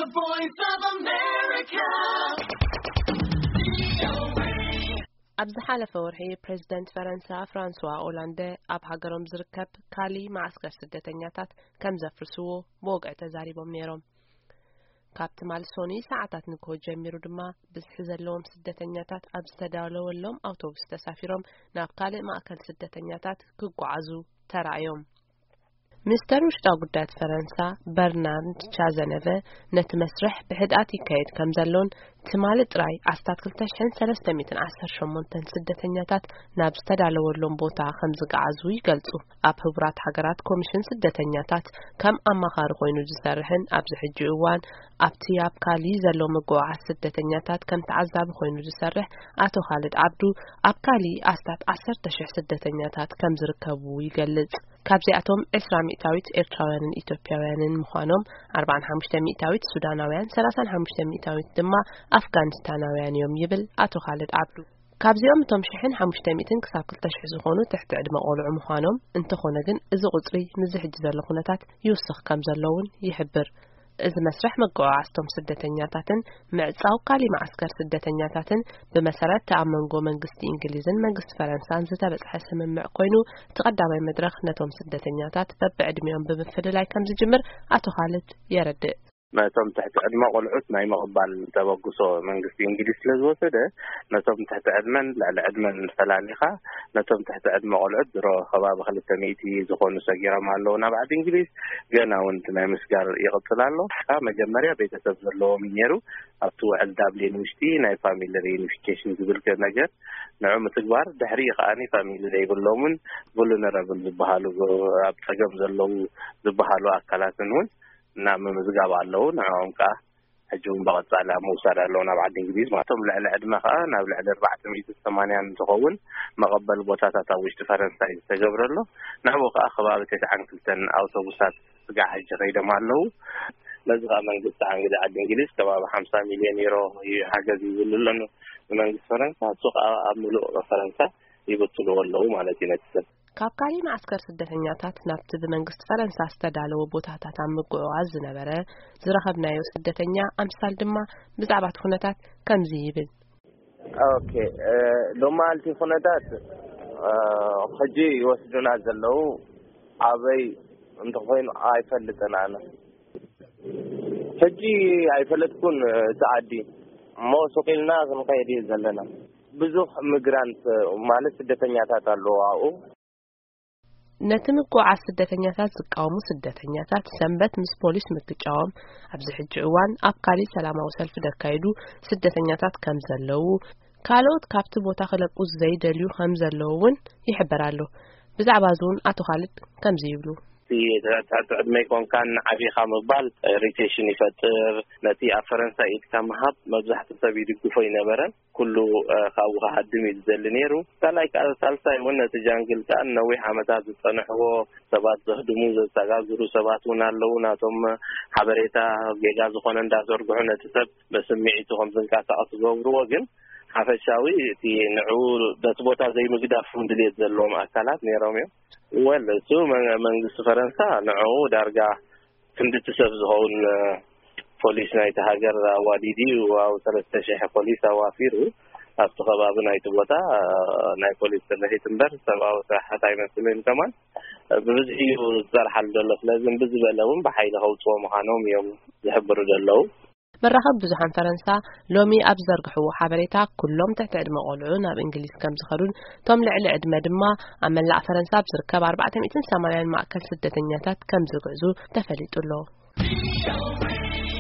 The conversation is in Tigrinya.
The Voice of America. ኣብ ዝሓለፈ ወርሒ ፕሬዝደንት ፈረንሳ ፍራንስዋ ኦላንደ ኣብ ሃገሮም ዝርከብ ካሊ መዓስከር ስደተኛታት ከም ዘፍርስዎ ብወግዒ ተዛሪቦም ነይሮም። ካብ ትማሊ ሶኒ ሰዓታት ንግሆ ጀሚሩ ድማ ብዝሒ ዘለዎም ስደተኛታት ኣብ ዝተዳለወሎም ኣውቶቡስ ተሳፊሮም ናብ ካልእ ማእከል ስደተኛታት ክጓዓዙ ተራእዮም። ሚኒስተር ውሽጣዊ ጉዳያት ፈረንሳ በርናርድ ቻዘነቨ ነቲ መስርሕ ብሕድኣት ይካየድ ከም ዘሎን ትማሊ ጥራይ ኣስታት ክልተ ሽሕን ሰለስተ ሚእትን ዓሰርተ ሸሞንተን ስደተኛታት ናብ ዝተዳለወሎም ቦታ ከም ዝገዓዙ ይገልጹ። ኣብ ህቡራት ሃገራት ኮሚሽን ስደተኛታት ከም ኣማኻሪ ኮይኑ ዝሰርሕን ኣብዚ ሕጂ እዋን ኣብቲ ኣብ ካሊ ዘሎ ምጉዓዓዝ ስደተኛታት ከም ተዓዛቢ ኮይኑ ዝሰርሕ ኣቶ ካልድ ዓብዱ፣ ኣብ ካሊ ኣስታት ዓሰርተ ሽሕ ስደተኛታት ከም ዝርከቡ ይገልጽ። ካብዚኣቶም ዕስራ ሚእታዊት ኤርትራውያንን ኢትዮጵያውያንን ምዃኖም፣ ኣርባዓን ሓሙሽተ ሚእታዊት ሱዳናውያን፣ ሰላሳን ሓሙሽተ ሚእታዊት ድማ ኣፍጋኒስታናውያን እዮም ይብል ኣቶ ካልድ ዓብዱ። ካብዚኦም እቶም ሽሕን ሓሙሽተ ሚእትን ክሳብ ክልተ ሽሕ ዝኾኑ ትሕቲ ዕድመ ቆልዑ ምዃኖም፣ እንተኾነ ግን እዚ ቁጽሪ ምስዚ ሕጂ ዘሎ ኩነታት ይውስኽ ከም ዘሎ እውን ይሕብር። እዚ መስርሕ መጓዓዓዝቶም ስደተኛታትን ምዕጻው ካሊ መዓስከር ስደተኛታትን ብመሰረት እቲ ኣብ መንጎ መንግስቲ እንግሊዝን መንግስቲ ፈረንሳን ዝተበጽሐ ስምምዕ ኮይኑ፣ እቲ ቀዳማይ መድረኽ ነቶም ስደተኛታት በብዕድሚኦም ብምፍልላይ ከም ዝጅምር ኣቶ ካልድ የረድእ። ነቶም ትሕቲ ዕድመ ቆልዑት ናይ ምቕባል ተበግሶ መንግስቲ እንግሊዝ ስለ ዝወሰደ፣ ነቶም ትሕቲ ዕድመን ልዕሊ ዕድመን ፈላሊኻ፣ ነቶም ትሕቲ ዕድመ ቆልዑት ድሮ ከባቢ ክልተ ሚእቲ ዝኾኑ ሰጊሮም ኣለዉ ናብ ዓዲ እንግሊዝ። ገና እውን እቲ ናይ ምስጋር ይቕጽል ኣሎ። ካብ መጀመርያ ቤተሰብ ዘለዎም እዩ ነይሩ። ኣብቲ ውዕል ዳብሊን ውሽጢ ናይ ፋሚሊ ሪዩኒፊኬሽን ዝብል ነገር ንዑ ምትግባር፣ ድሕሪ ከኣኒ ፋሚሊ ዘይብሎምን ቡሉነረብል ዝበሃሉ፣ ኣብ ጸገም ዘለዉ ዝበሃሉ ኣካላትን እውን ናብ ምምዝጋብ ኣለዉ። ንዕኦም ከኣ ሕጂ እውን ብቐጻሊ ኣብ ምውሳድ ኣለዉ ናብ ዓዲ እንግሊዝ። ማለቶም ልዕሊ ዕድመ ከኣ ናብ ልዕሊ ኣርባዕተ ሚእቲ ሰማንያን ዝኸውን መቐበሊ ቦታታት ኣብ ውሽጢ ፈረንሳ እዩ ዝተገብረሎ። ናብኡ ከኣ ከባቢ ተስዓን ክልተን ኣውቶቡሳት ስጋዕ ሕጂ ከይዶም ኣለዉ። ነዚ ከኣ መንግስቲ ዓንግዲ ዓዲ እንግሊዝ ከባቢ ሓምሳ ሚልዮን ዩሮ እዩ ሓገዝ ይብሉ ኣሎ ንመንግስቲ ፈረንሳ። እሱ ከኣ ኣብ ምሉእ ፈረንሳ ይብትልዎ ኣለዉ ማለት እዩ ነቲ ሰብ። ካብ ካሊ መዓስከር ስደተኛታት ናብቲ ብመንግስቲ ፈረንሳ ዝተዳለወ ቦታታት ኣብ ምጉዕዓዝ ዝነበረ ዝረኸብናዮ ስደተኛ ኣምሳል ድማ ብዛዕባ እቲ ኩነታት ከምዚ ይብል። ኦኬ፣ እ፣ ሎማልቲ ኩነታት፣ እ፣ ሕጂ ይወስዱና ዘለዉ ኣበይ እንተኾይኑ ኣይፈልጥን ኣነ። ሕጂ ኣይፈለጥኩን እቲ ዓዲ፣ እሞ ሱቕ ኢልና ክንኸይድ እዩ ዘለና። ብዙሕ ሚግራንት ማለት ስደተኛታት ኣለዉ ኣብኡ። ነቲ ምጉዓዝ ስደተኛታት ዝቃወሙ ስደተኛታት ሰንበት ምስ ፖሊስ ምግጫዎም፣ ኣብዚ ሕጂ እዋን ኣብ ካሊ ሰላማዊ ሰልፊ ዘካየዱ ስደተኛታት ከም ዘለዉ፣ ካልኦት ካብቲ ቦታ ክለቁ ዘይደልዩ ከም ዘለዉ እውን ይሕበር ኣሎ። ብዛዕባ እዚ እውን ኣቶ ካልድ ከምዚ ይብሉ። እቲ ትሕቲ ዕድመ ይኮንካን ዓቢኻ ምባል ኢሪቴሽን ይፈጥር። ነቲ ኣብ ፈረንሳ ኢድካ ምሃብ መብዛሕትኡ ሰብ ይድግፎ ኣይነበረን። ኩሉ፣ እ፣ ካብኡ ክሃድም እዩ ዝደሊ ነይሩ። ካልኣይ ከኣ፣ ሳልሳይ እውን ነቲ ጃንግል ከኣ ነዊሕ ዓመታት ዝጸንሕዎ ሰባት ዘህድሙ፣ ዘሰጋግሩ ሰባት እውን ኣለዉ። ናቶም ሓበሬታ ጌጋ ዝኾነ እንዳዘርግሑ ነቲ ሰብ በስምዒቱ ከም ዝንቀሳቐስ ዝገብርዎ፣ ግን ሓፈሻዊ እቲ ንዕኡ በቲ ቦታ ዘይምግዳፍ እውን ድልየት ዘለዎም ኣካላት ነይሮም እዮም። ወል፣ እሱ መ-፣ መንግስቲ ፈረንሳ ንዕኡ ዳርጋ ክንድቲ ሰብ ዝኸውን፣ እ፣ ፖሊስ ናይቲ ሃገር ኣዋዲዱ እዩ። ኣብ ሰለስተ ሽሕ ፖሊስ ኣዋፊሩ ኣብቲ ከባቢ ናይቲ ቦታ፣ እ፣ ናይ ፖሊስ ስርሒት እምበር ሰብኣዊ ስራሓት ኣይመስልን። ከማን ብብዝሒ እዩ ዝሰርሓሉ ዘሎ። ስለዚ እምቢ ዝበለ እውን ብሓይሊ ከውፅዎ ምዃኖም እዮም ዝሕብሩ ዘለዉ። መራኸቢ ብዙሓን ፈረንሳ ሎሚ ኣብ ዝዘርግሕዎ ሓበሬታ፣ ኩሎም ትሕቲ ዕድመ ቆልዑ ናብ እንግሊዝ ከም ዝኸዱን፣ እቶም ልዕሊ ዕድመ ድማ ኣብ መላእ ፈረንሳ ኣብ ዝርከብ ኣርባዕተ ሚእትን ሰማንያን ማእከል ስደተኛታት ከም ዝግዕዙ ተፈሊጡ ኣሎ።